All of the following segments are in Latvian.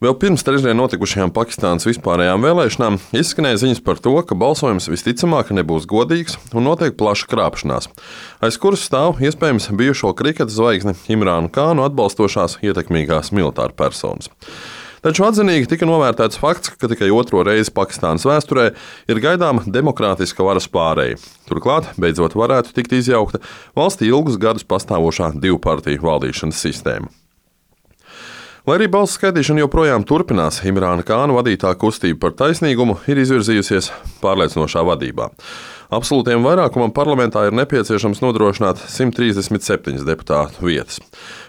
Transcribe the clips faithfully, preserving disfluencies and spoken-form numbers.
Vēl pirms trešdien notikušajām Pakistānas vispārējām vēlēšanām izskanēja ziņas par to, ka balsojums visticamāk nebūs godīgs un notiek plaša krāpšanās, aiz kuras stāv iespējams bijušo kriketa zvaigzni Imrānu Kānu atbalstošās ietekmīgās militāra personas. Taču atzinīgi tika novērtēts fakts, ka tikai otro reizi Pakistānas vēsturē ir gaidāma demokrātiska varas pārēja. Turklāt beidzot varētu tikt izjaukta valstī ilgus gadus pastāvošā divpartiju valdīšanas sistēma. Lai arī balsu skaitīšana joprojām turpinās, Imrāna Kāna vadītā kustība par taisnīgumu ir izvirzījusies pārliecinošā vadībā. Absolūtiem vairākumam parlamentā ir nepieciešams nodrošināt simt trīsdesmit septiņas deputātu vietas.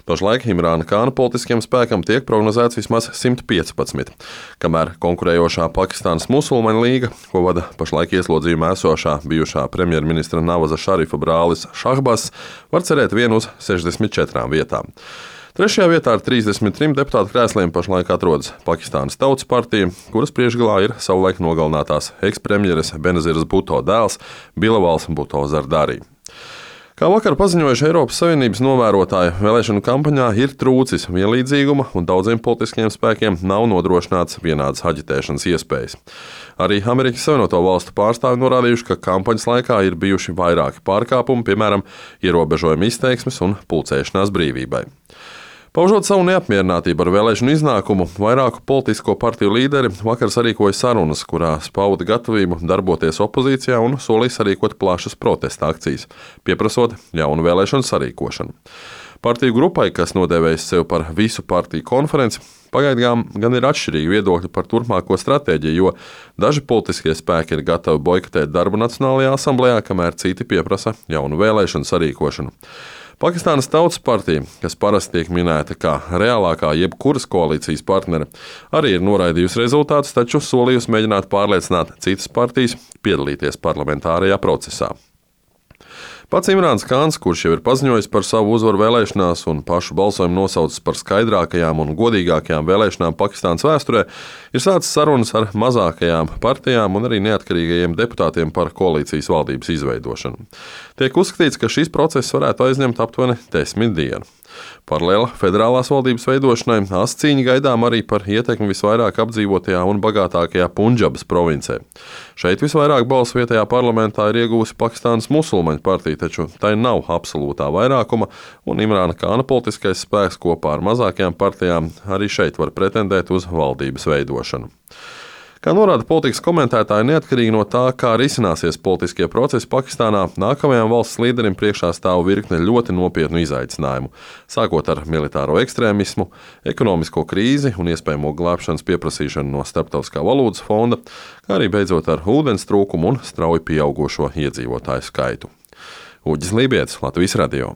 Pašlaik Imrāna Kāna politiskiem spēkam tiek prognozēts vismaz simt piecpadsmit, kamēr konkurējošā Pakistānas musulmaņu līga, ko vada pašlaik ieslodzījumā esošā bijušā premjerministra Navaza Šarifa brālis Šahbazs, var cerēt vien uz sešdesmit četrām vietām. Trešajā vietā ar trīsdesmit trim deputātu krēsliem pašlaik atrodas Pakistānas Tautas partija, kuras priekšgalā ir savulaik nogalinātās ekspremjeres Benaziras Bhutto dēls Bilawals Bhutto Zardari. Kā vakar paziņojuši Eiropas Savienības novērotāji, vēlēšanu kampaņā ir trūcis vienlīdzīguma un daudziem politiskiem spēkiem nav nodrošināts vienādas aģitēšanas iespējas. Arī Amerikas Savienoto Valstu pārstāvji norādījuši, ka kampaņas laikā ir bijuši vairāki pārkāpumi, piemēram, ierobežojumi izteiksmes un pulcēšanās brīvībai. Paužot savu neapmierinātību ar vēlēšanu iznākumu, vairāku politisko partiju līderi vakar sarīkoja sarunas, kurās pauda gatavību darboties opozīcijā un solīja sarīkot plašas protesta akcijas, pieprasot jaunu vēlēšanu sarīkošanu. Partiju grupai, kas nodēvējas sev par visu partiju konferenci, pagaidām gan ir atšķirīgi viedokļi par turpmāko stratēģiju, jo daži politiskie spēki ir gatavi boikotēt darbu Nacionālajā asamblejā, kamēr citi pieprasa jaunu vēlēšanu sarīkošanu. Pakistānas Tautas partija, kas parasti tiek minēta kā reālākā jebkuras koalīcijas partnere, arī ir noraidījusi rezultātus, taču solījusi mēģināt pārliecināt citas partijas piedalīties parlamentārajā procesā. Pats Imrāns Kāns, kurš jau ir paziņojis par savu uzvaru vēlēšanās un pašu balsojumu nosaucis par skaidrākajām un godīgākajām vēlēšanām Pakistānas vēsturē, ir sācis sarunas ar mazākajām partijām un arī neatkarīgajiem deputātiem par koalīcijas valdības izveidošanu. Tiek uzskatīts, ka šis process varētu aizņemt aptuveni desmit dienu. Paralēli federālās valdības veidošanai ascīņa gaidām arī par ietekmi visvairāk apdzīvotajā un bagātākajā Punjabas provincē. Šeit visvairāk balsu vietējā parlamentā ir iegūsi Pakistānas musulmaņu partija, taču tai nav absolūtā vairākuma, un Imrāna Kāna politiskais spēks kopā ar mazākajām partijām arī šeit var pretendēt uz valdības veidošanu. Kā norāda politikas komentētāji, neatkarīgi no tā, kā risināsies politiskie procesi Pakistānā, nākamajam valsts līderim priekšā stāv virkne ļoti nopietnu izaicinājumu, sākot ar militāro ekstrēmismu, ekonomisko krīzi un iespējamo glābšanas pieprasīšanu no Starptautiskā valūtas fonda, kā arī beidzot ar ūdens trūkumu un strauji pieaugošo iedzīvotāju skaitu. Uģis Lībietis, Latvijas radio.